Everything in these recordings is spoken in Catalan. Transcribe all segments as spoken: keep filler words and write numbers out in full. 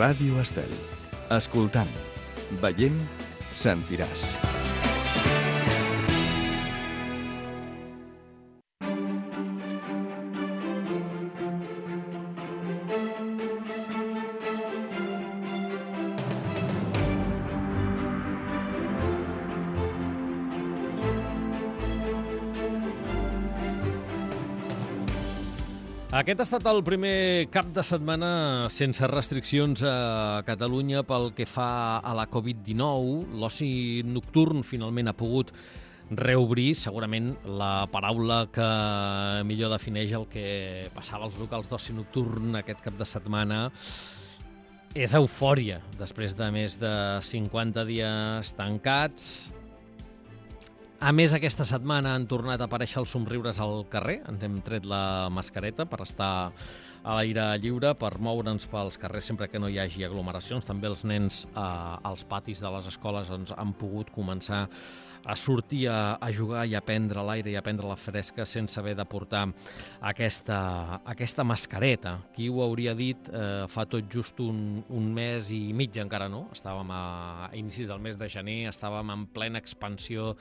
Ràdio Estel. Escoltant, veient, sentiràs. Aquest ha estat el primer cap de setmana sense restriccions a Catalunya pel que fa a la covid dinou. L'oci nocturn finalment ha pogut reobrir. Segurament la paraula que millor defineix el que passava als locals d'oci nocturn aquest cap de setmana és eufòria. Després de més de cinquanta dies tancats, a més, aquesta setmana han tornat a aparèixer els somriures al carrer. Ens hem tret la mascareta per estar a l'aire lliure, per moure'ns pels carrers sempre que no hi hagi aglomeracions. També els nens eh, als patis de les escoles doncs, han pogut començar a sortir a, a jugar i a prendre l'aire i a prendre la fresca sense haver de portar aquesta, aquesta mascareta. Qui ho hauria dit eh, fa tot just un, un mes i mig, encara no? Estàvem a, a inicis del mes de gener, estàvem en plena expansió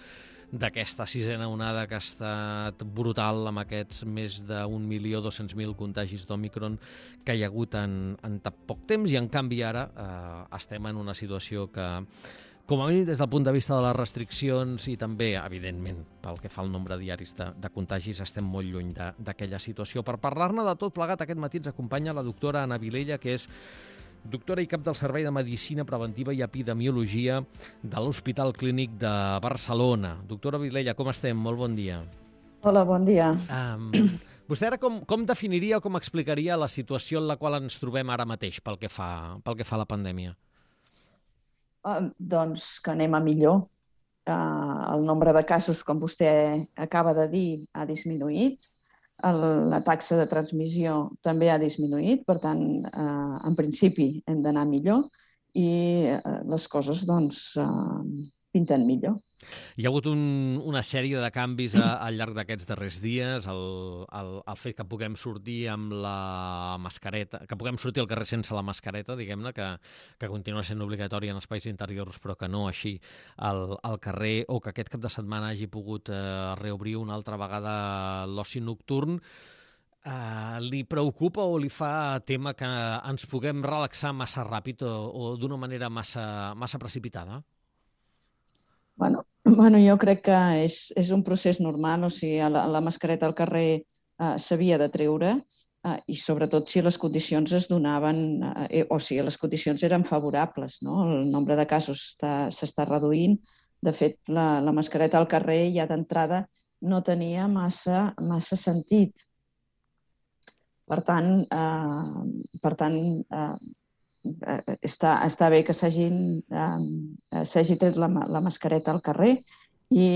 d'aquesta sisena onada que ha estat brutal amb aquests més d'un milió dos-cents mil contagis d'Òmicron que hi ha hagut en, en tan poc temps, i en canvi ara eh, estem en una situació que, com a mínim des del punt de vista de les restriccions i també, evidentment, pel que fa al nombre diaris de, de contagis, estem molt lluny d'aquella situació. Per parlar-ne de tot plegat, aquest matí ens acompanya la doctora Anna Vilella, que és doctora i cap del Servei de Medicina Preventiva i Epidemiologia de l'Hospital Clínic de Barcelona. Doctora Vilella, com estem? Molt bon dia. Hola, bon dia. Um, vostè ara com, com definiria o com explicaria la situació en la qual ens trobem ara mateix pel que fa, pel que fa a la pandèmia? Uh, doncs que anem a millor. Uh, el nombre de casos, com vostè acaba de dir, ha disminuït. El, la taxa de transmissió també ha disminuït, per tant, eh, en principi hem d'anar millor i eh, les coses doncs, eh, pinten millor. Hi ha hagut un, una sèrie de canvis a, al llarg d'aquests darrers dies, el, el, el fet que puguem sortir amb la mascareta, que puguem sortir al carrer sense la mascareta, diguem-ne, que, que continua sent obligatori en espais interiors, però que no així al, al carrer, o que aquest cap de setmana hagi pogut eh, reobrir una altra vegada l'oci nocturn. Eh, li preocupa o li fa tema que ens puguem relaxar massa ràpid o, o d'una manera massa, massa precipitada? Bueno, bueno, jo crec que és, és un procés normal, o sigui, la, la mascareta al carrer eh, s'havia de treure eh, i sobretot si les condicions es donaven, eh, o sigui, les condicions eren favorables, no? El nombre de casos s'està reduint. De fet, la, la mascareta al carrer ja d'entrada no tenia massa, massa sentit. Per tant, eh, per tant eh, Està, està bé que s'hagi eh, tret la, la mascareta al carrer i,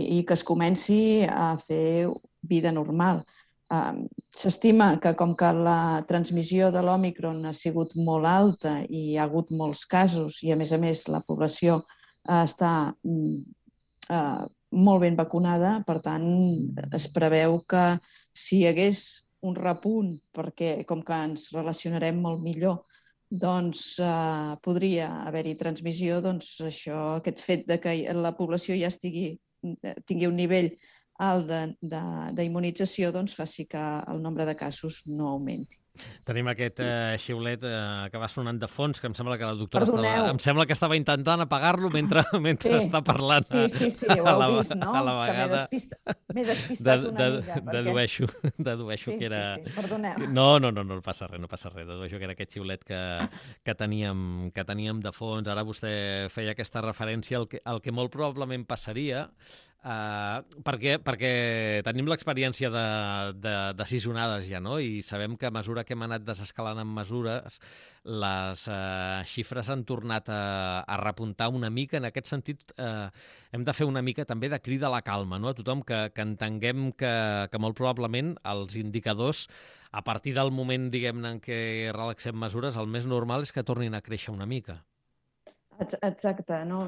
i que es comenci a fer vida normal. Eh, S'estima que com que la transmissió de l'Òmicron ha sigut molt alta i hi ha hagut molts casos i a més a més la població eh, està eh, molt ben vacunada, per tant es preveu que si hi hagués un repunt, perquè com que ens relacionarem molt millor, doncs eh, podria haver-hi transmissió, doncs això, aquest fet de que la població ja estigui, tingui un nivell alt d'immunització, doncs faci que el nombre de casos no augmenti. Tenim aquest eh, xiulet eh, que va sonant de fons, que em sembla que la doctora Perdoneu. estava, em sembla que estava intentant apagar-lo mentre, mentre sí. està parlant. Sí, sí, sí, ho heu la, vist, no? A la vegada. Que m'he despistat, despistat de, una de, mica. Perquè... Dedueixo, dedueixo sí, que era... Sí, sí, perdoneu. No, no, no, no passa res, no passa res. Dedueixo que era aquest xiulet que, que, teníem, que teníem de fons. Ara vostè feia aquesta referència al que, al que molt probablement passaria, Uh, perquè, perquè tenim l'experiència de, de, de sis onades ja, no? I sabem que a mesura que hem anat desescalant en mesures, les uh, xifres han tornat a, a repuntar una mica. En aquest sentit, uh, hem de fer una mica també de crida a la calma, no? A tothom que, que entenguem que, que molt probablement els indicadors, a partir del moment, diguem-ne, en què relaxem mesures, el més normal és que tornin a créixer una mica. Exacte, no?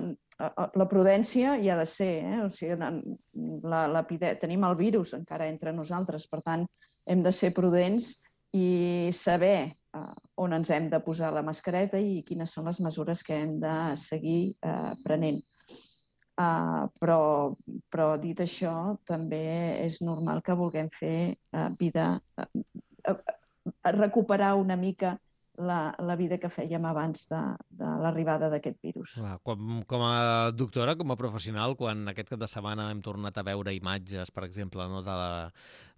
La prudència hi ha de ser, eh? O sigui, la, la, tenim el virus encara entre nosaltres, per tant, hem de ser prudents i saber uh, on ens hem de posar la mascareta i quines són les mesures que hem de seguir uh, prenent. Uh, però, però dit això, també és normal que vulguem fer uh, vida, uh, uh, uh, recuperar una mica la, la vida que fèiem abans de, de l'arribada d'aquest virus. Com, com a doctora, com a professional, quan aquest cap de setmana hem tornat a veure imatges, per exemple, no, de, la,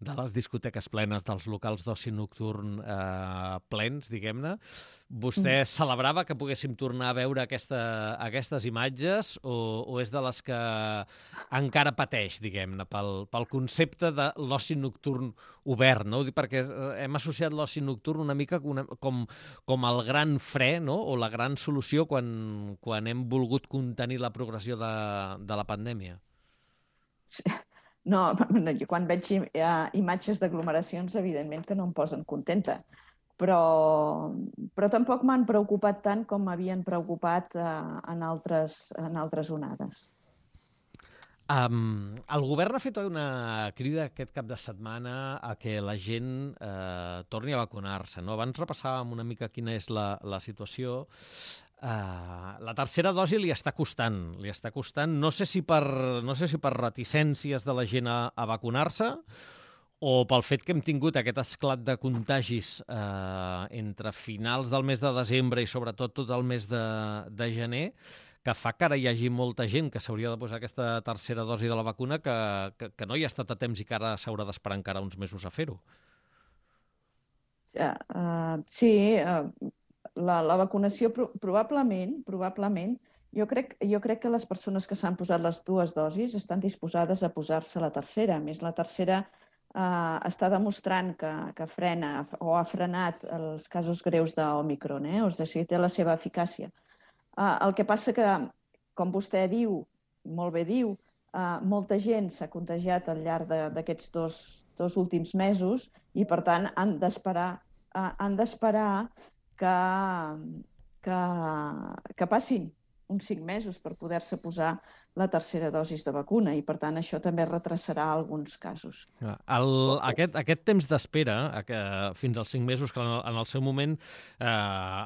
de les discoteques plenes, dels locals d'oci nocturn eh, plens, diguem-ne, vostè mm. celebrava que poguéssim tornar a veure aquesta, aquestes imatges o, o és de les que encara pateix, diguem-ne, pel, pel concepte de l'oci nocturn obert, no? Perquè hem associat l'oci nocturn una mica una, com, com el gran fre, no? O la gran solució quan, quan hem volgut contenir la progressió de, de la pandèmia. No, jo quan veig imatges d'aglomeracions, evidentment que no em posen contenta. Però, però tampoc m'han preocupat tant com m'havien preocupat eh, en, altres, en altres onades. Um, el govern ha fet una crida aquest cap de setmana a que la gent eh, torni a vacunar-se, no? Abans repassàvem una mica quina és la, la situació. Uh, la tercera dosi li està costant, li està costant. No sé si per, no sé si per reticències de la gent a, a vacunar-se o pel fet que hem tingut aquest esclat de contagis eh, entre finals del mes de desembre i sobretot tot el mes de, de gener, que fa que ara hi hagi molta gent que s'hauria de posar aquesta tercera dosi de la vacuna que, que, que no hi ha estat a temps i que ara s'haurà d'esperar encara uns mesos a fer-ho. Uh, uh, sí, uh, la, la vacunació pro probablement, probablement, jo crec, jo crec que les persones que s'han posat les dues dosis estan disposades a posar-se la tercera. A més, la tercera Uh, està demostrant que, que frena o ha frenat els casos greus d'Òmicron, eh? O sigui, té la seva eficàcia. Uh, el que passa que, com vostè diu, molt bé diu, uh, molta gent s'ha contagiat al llarg d'aquests dos, dos últims mesos i, per tant, han d'esperar uh, han d'esperar que, que, que passin uns cinc mesos per poder-se posar la tercera dosis de vacuna i, per tant, això també retrasarà alguns casos. El, aquest, aquest temps d'espera, fins als cinc mesos, que en el seu moment, eh,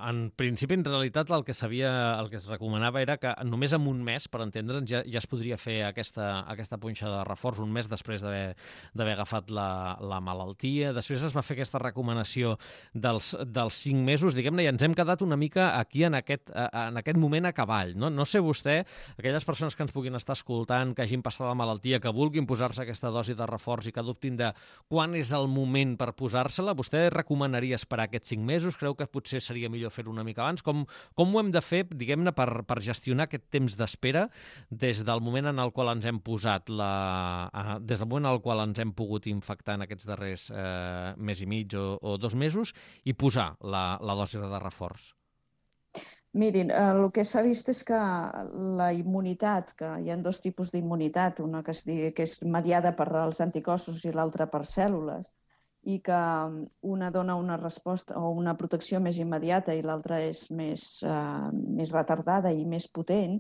en principi, en realitat, el que sabia, el que es recomanava era que només en un mes, per entendre'ns, ja, ja es podria fer aquesta, aquesta punxada de reforç, un mes després d'haver agafat la, la malaltia. Després es va fer aquesta recomanació dels, dels cinc mesos, diguem-ne, i ens hem quedat una mica aquí en aquest, en aquest moment a cavall. No, no sé vostè, aquelles persones que ens puguin estar escoltant, que hagin passat la malaltia, que vulguin posar-se aquesta dosi de reforç i que dubtin de quan és el moment per posar-se-la, vostè recomanaria esperar aquests cinc mesos? Creu que potser seria millor fer-ho una mica abans? Com, com ho hem de fer, diguem-ne, per, per gestionar aquest temps d'espera des del moment en el qual ens hem posat la... des del moment en el qual ens hem pogut infectar en aquests darrers eh, mes i mig o, o dos mesos i posar la, la dosi de reforç? Mirin, el que s'ha vist és que la immunitat, que hi ha dos tipus d'immunitat, una que, es digui, que és mediada per als anticossos i l'altra per cèl·lules, i que una dona una resposta o una protecció més immediata i l'altra és més, uh, més retardada i més potent,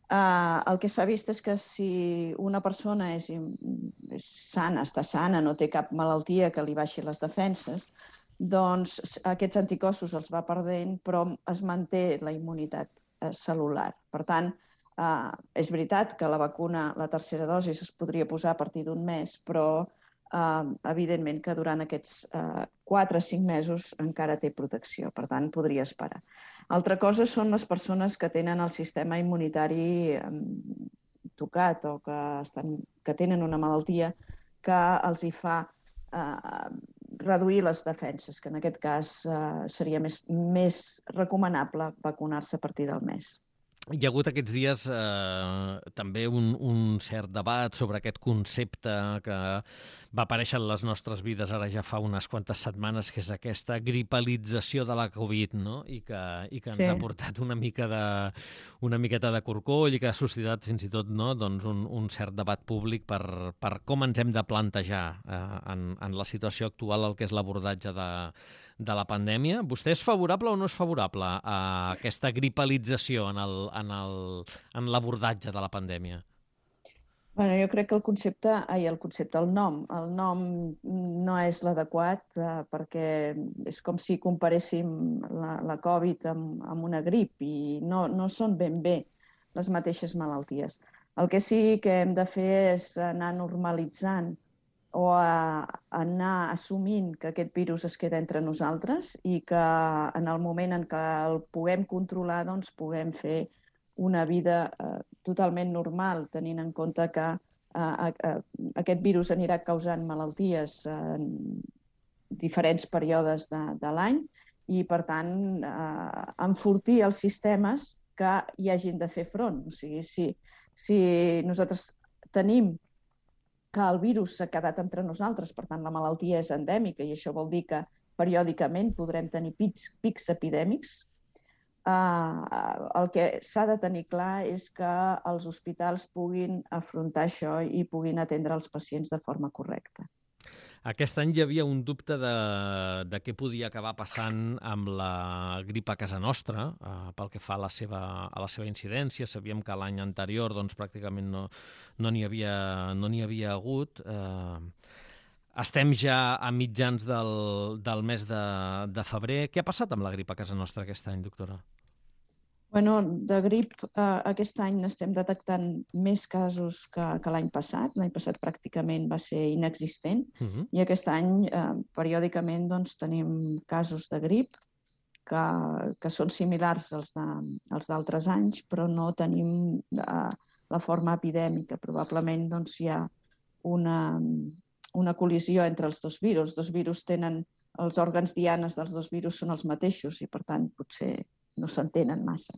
uh, el que s'ha vist és que si una persona és, és sana, està sana, no té cap malaltia que li baixi les defenses, doncs aquests anticossos els va perdent, però es manté la immunitat eh, cel·lular. Per tant, eh, és veritat que la vacuna, la tercera dosi, es podria posar a partir d'un mes, però eh, evidentment que durant aquests eh, quatre o cinc mesos encara té protecció, per tant, podria esperar. Altra cosa són les persones que tenen el sistema immunitari eh, tocat o que, estan, que tenen una malaltia que els hi fa eh, reduir les defenses, que en aquest cas eh, seria més, més recomanable vacunar-se a partir del mes. Hi ha hagut aquests dies eh, també un, un cert debat sobre aquest concepte que va aparèixer en les nostres vides ara ja fa unes quantes setmanes, que és aquesta gripalització de la Covid, no? I que, i que ens sí. ha portat una mica de, una miqueta de corcoll i que ha suscitat fins i tot, no? Doncs un, un cert debat públic per, per com ens hem de plantejar eh, en, en la situació actual el que és l'abordatge de, de la pandèmia. Vostè és favorable o no és favorable a aquesta gripalització en el, en el, en l'abordatge de la pandèmia? Bueno, jo crec que el concepte, ai, el concepte, el nom, el nom no és l'adequat eh, perquè és com si comparéssim la, la Covid amb, amb una grip i no, no són ben bé les mateixes malalties. El que sí que hem de fer és anar normalitzant o a, anar assumint que aquest virus es queda entre nosaltres i que en el moment en què el puguem controlar, doncs puguem fer una vida eh, totalment normal, tenint en compte que eh, eh, aquest virus anirà causant malalties en diferents períodes de, de l'any i, per tant, eh, enfortir els sistemes que hi hagin de fer front. O sigui, si, si nosaltres tenim que el virus s'ha quedat entre nosaltres, per tant, la malaltia és endèmica i això vol dir que periòdicament podrem tenir pics, pics epidèmics, Uh, el que s'ha de tenir clar és que els hospitals puguin afrontar això i puguin atendre els pacients de forma correcta. Aquest any hi havia un dubte de, de què podia acabar passant amb la grip a casa nostra, eh, pel que fa a la seva, a la seva incidència. Sabíem que l'any anterior doncs, pràcticament no no n'hi havia, no n'hi havia hagut. Eh, estem ja a mitjans del, del mes de, de febrer. Què ha passat amb la grip a casa nostra aquest any, doctora? Bueno, de grip eh, aquest any n'estem detectant més casos que, que l'any passat. L'any passat pràcticament va ser inexistent uh-huh. i aquest any eh, periòdicament doncs, tenim casos de grip que, que són similars als, de, als d'altres anys, però no tenim eh, la forma epidèmica. Probablement doncs, hi ha una, una col·lisió entre els dos virus. Els dos virus tenen, els òrgans dianes dels dos virus són els mateixos i, per tant, potser no s'entenen massa.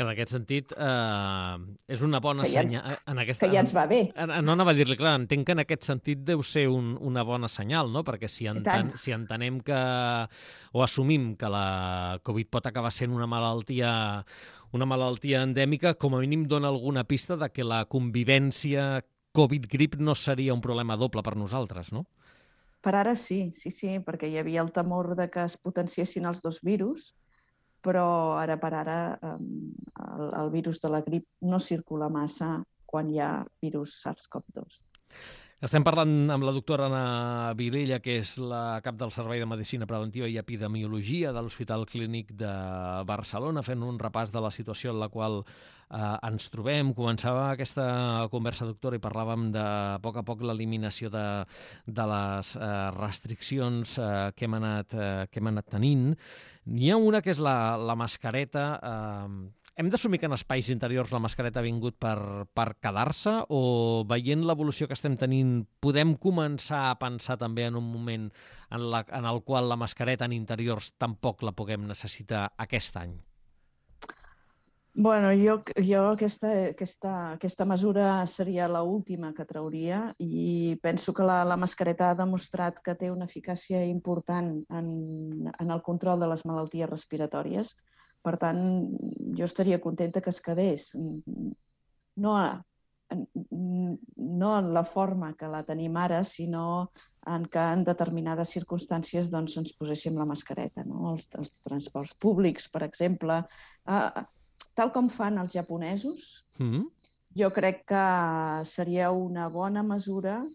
En aquest sentit, eh, és una bona ja senyal. En aquesta, que ja ens va bé. No anava a dir-li, clar, entenc que en aquest sentit deu ser un, una bona senyal, no? Perquè si, enten, si entenem que, o assumim que la Covid pot acabar sent una malaltia, una malaltia endèmica, com a mínim dona alguna pista de que la convivència Covid-grip no seria un problema doble per nosaltres, no? Per ara sí, sí, sí, perquè hi havia el temor de que es potenciessin els dos virus, però ara per ara el, el virus de la grip no circula massa quan hi ha virus SARS-CoV dos. Estem parlant amb la doctora Anna Vilella, que és la cap del Servei de Medicina Preventiva i Epidemiologia de l'Hospital Clínic de Barcelona, fent un repàs de la situació en la qual eh, ens trobem. Començava aquesta conversa, doctora, i parlàvem de a poc a poc l'eliminació de, de les eh, restriccions eh, que, hem anat, eh, que hem anat tenint. N'hi ha una que és la, la mascareta. Eh, hem d'assumir que en espais interiors la mascareta ha vingut per, per quedar-se o veient l'evolució que estem tenint podem començar a pensar també en un moment en, la, en el qual la mascareta en interiors tampoc la puguem necessitar aquest any? Bueno, jo, jo aquesta, aquesta, aquesta mesura seria l'última que trauria i penso que la, la mascareta ha demostrat que té una eficàcia important en, en el control de les malalties respiratòries. Per tant, jo estaria contenta que es quedés. No, a, no en la forma que la tenim ara, sinó en que en determinades circumstàncies doncs, ens poséssim la mascareta. No? Els, els transports públics, per exemple, eh, tal com fan els japonesos, mm-hmm. jo crec que seria una bona mesura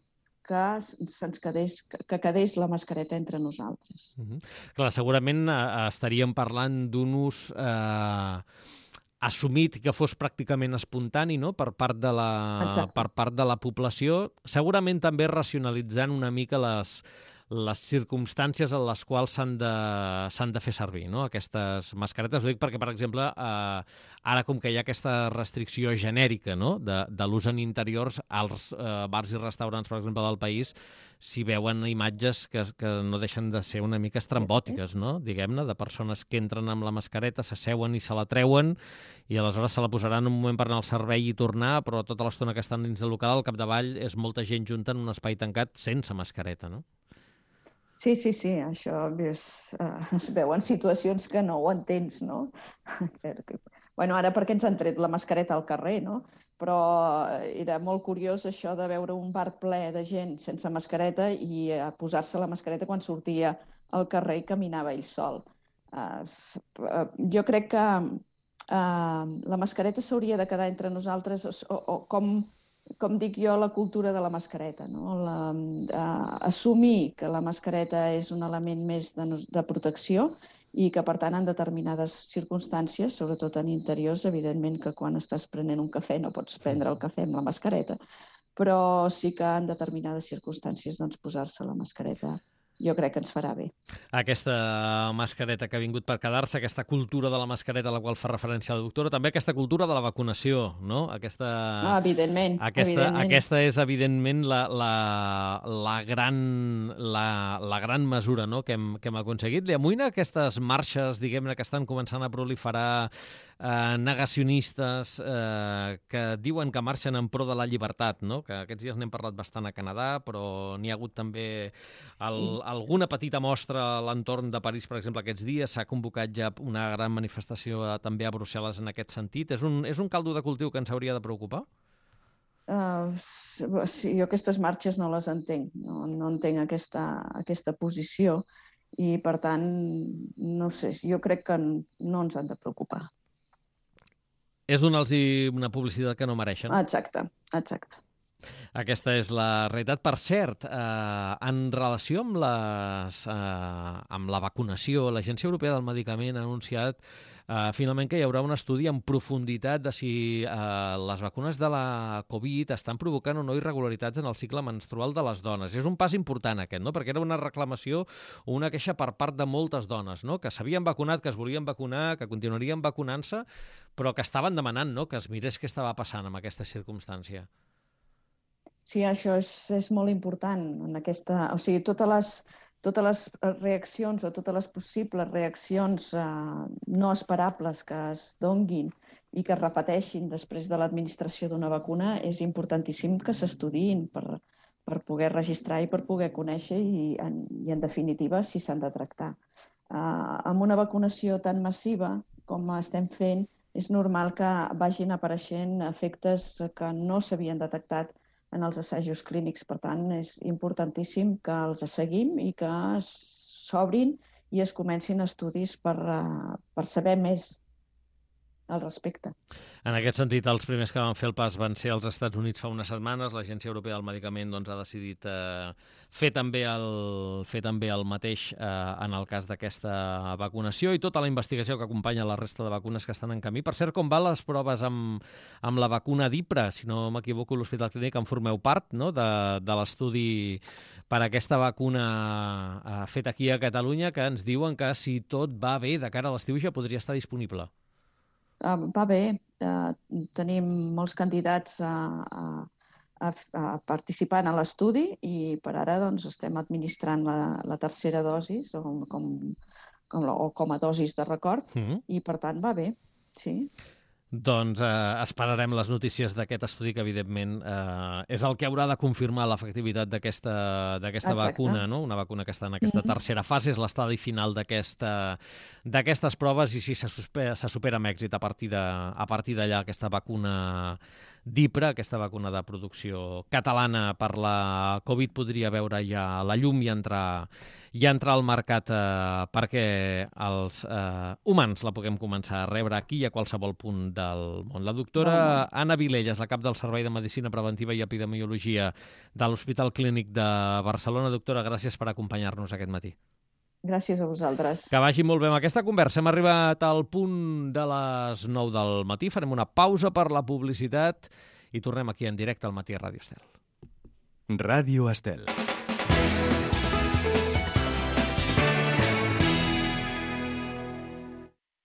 que se'ns quedés, que quedés la mascareta entre nosaltres. Mm-hmm. Clar, segurament eh, estaríem parlant d'un ús eh, assumit que fos pràcticament espontani, no? per, part de la, per part de la població, segurament també racionalitzant una mica les, les circumstàncies en les quals s'han de, s'han de fer servir, no? Aquestes mascaretes. Ho dic perquè, per exemple, eh, ara com que hi ha aquesta restricció genèrica, no? de, de l'ús en interiors, als eh, bars i restaurants, per exemple, del país, s'hi veuen imatges que, que no deixen de ser una mica estrambòtiques, no? Diguem-ne, de persones que entren amb la mascareta, s'asseuen i se la treuen i aleshores se la posaran un moment per anar al servei i tornar, però tota l'estona que estan dins del local, al capdavall, és molta gent junta en un espai tancat sense mascareta, no? Sí, sí, sí, això és, uh, es veuen situacions que no ho entens, no? Bueno, ara perquè ens han tret la mascareta al carrer, no? Però era molt curiós això de veure un bar ple de gent sense mascareta i uh, posar-se la mascareta quan sortia al carrer i caminava ell sol. Uh, uh, jo crec que uh, la mascareta s'hauria de quedar entre nosaltres o, o com com dic jo, la cultura de la mascareta, no? La, uh, assumir que la mascareta és un element més de, de protecció i que, per tant, en determinades circumstàncies, sobretot en interiors, evidentment que quan estàs prenent un cafè no pots prendre el cafè amb la mascareta, però sí que en determinades circumstàncies doncs, posar-se la mascareta jo crec que ens farà bé. Aquesta mascareta que ha vingut per quedar-se, aquesta cultura de la mascareta a la qual fa referència la doctora, també aquesta cultura de la vacunació, no? Aquesta, ah, evidentment, aquesta, evidentment. Aquesta és, evidentment, la, la, la, gran, la, la gran mesura, no?, que hem, que hem aconseguit. Li amoïna aquestes marxes, diguem-ne, que estan començant a proliferar, eh, negacionistes, eh, que diuen que marxen en pro de la llibertat, no? Que aquests dies n'hem parlat bastant a Canadà, però n'hi ha hagut també el, alguna petita mostra a l'entorn de París, per exemple, aquests dies. S'ha convocat ja una gran manifestació a, també a Brussel·les en aquest sentit. És un, és un caldo de cultiu que ens hauria de preocupar? Uh, sí, jo aquestes marxes no les entenc. No, no entenc aquesta, aquesta posició i, per tant, no sé, jo crec que no ens han de preocupar. És donar-los una publicitat que no mereixen. Exacte, exacte. Aquesta és la realitat. Per cert, eh, en relació amb, les, eh, amb la vacunació, l'Agència Europea del Medicament ha anunciat eh, finalment que hi haurà un estudi en profunditat de si eh, les vacunes de la Covid estan provocant o no irregularitats en el cicle menstrual de les dones. És un pas important aquest, no? Perquè era una reclamació o una queixa per part de moltes dones, no? Que s'havien vacunat, que es volien vacunar, que continuarien vacunant-se, però que estaven demanant, no?, que es mirés què estava passant en aquesta circumstància. Sí, això és, és molt important. En aquesta, o sigui, totes les, totes les reaccions o totes les possibles reaccions eh, no esperables que es donguin i que es repeteixin després de l'administració d'una vacuna, és importantíssim que s'estudiïn per, per poder registrar i per poder conèixer i, en, i en definitiva, si s'han de tractar. Eh, amb una vacunació tan massiva com estem fent, és normal que vagin apareixent efectes que no s'havien detectat en els assajos clínics. Per tant, és importantíssim que els seguim i que s'obrin i es comencin estudis per, per saber més al respecte. En aquest sentit, els primers que van fer el pas van ser als Estats Units fa unes setmanes. L'Agència Europea del Medicament doncs, ha decidit eh, fer, també el, fer també el mateix eh, en el cas d'aquesta vacunació i tota la investigació que acompanya la resta de vacunes que estan en camí. Per cert, com van les proves amb, amb la vacuna d'Ipra? Si no m'equivoco, l'Hospital Clínic en formeu part, no?, de, de l'estudi per a aquesta vacuna eh, feta aquí a Catalunya, que ens diuen que si tot va bé de cara a l'estiu ja podria estar disponible. Uh, va bé, uh, tenim molts candidats a, a, a participar en l'estudi i per ara doncs, estem administrant la, la tercera dosi o com, com, o com a dosis de record mm-hmm. i per tant va bé, sí. Doncs eh, esperarem les notícies d'aquest estudi que, evidentment, eh, és el que haurà de confirmar l'efectivitat d'aquesta d'aquesta vacuna, no? Una vacuna que està en aquesta mm-hmm. tercera fase, és l'estadi final d'aquestes proves i si se supera, se supera amb èxit a partir de, a partir d'allà aquesta vacuna d'Ipra, aquesta vacuna de producció catalana per la Covid podria veure ja la llum i entrar, i entrar al mercat eh, perquè els eh, humans la puguem començar a rebre aquí i a qualsevol punt del món. La doctora no. Anna Vilella és la cap del Servei de Medicina Preventiva i Epidemiologia de l'Hospital Clínic de Barcelona. Doctora, gràcies per acompanyar-nos aquest matí. Gràcies a vosaltres. Que vagi molt bé amb aquesta conversa. Hem arribat al punt de les nou del matí. Farem una pausa per la publicitat i tornem aquí en directe al Matí a Ràdio Estel. Ràdio Estel.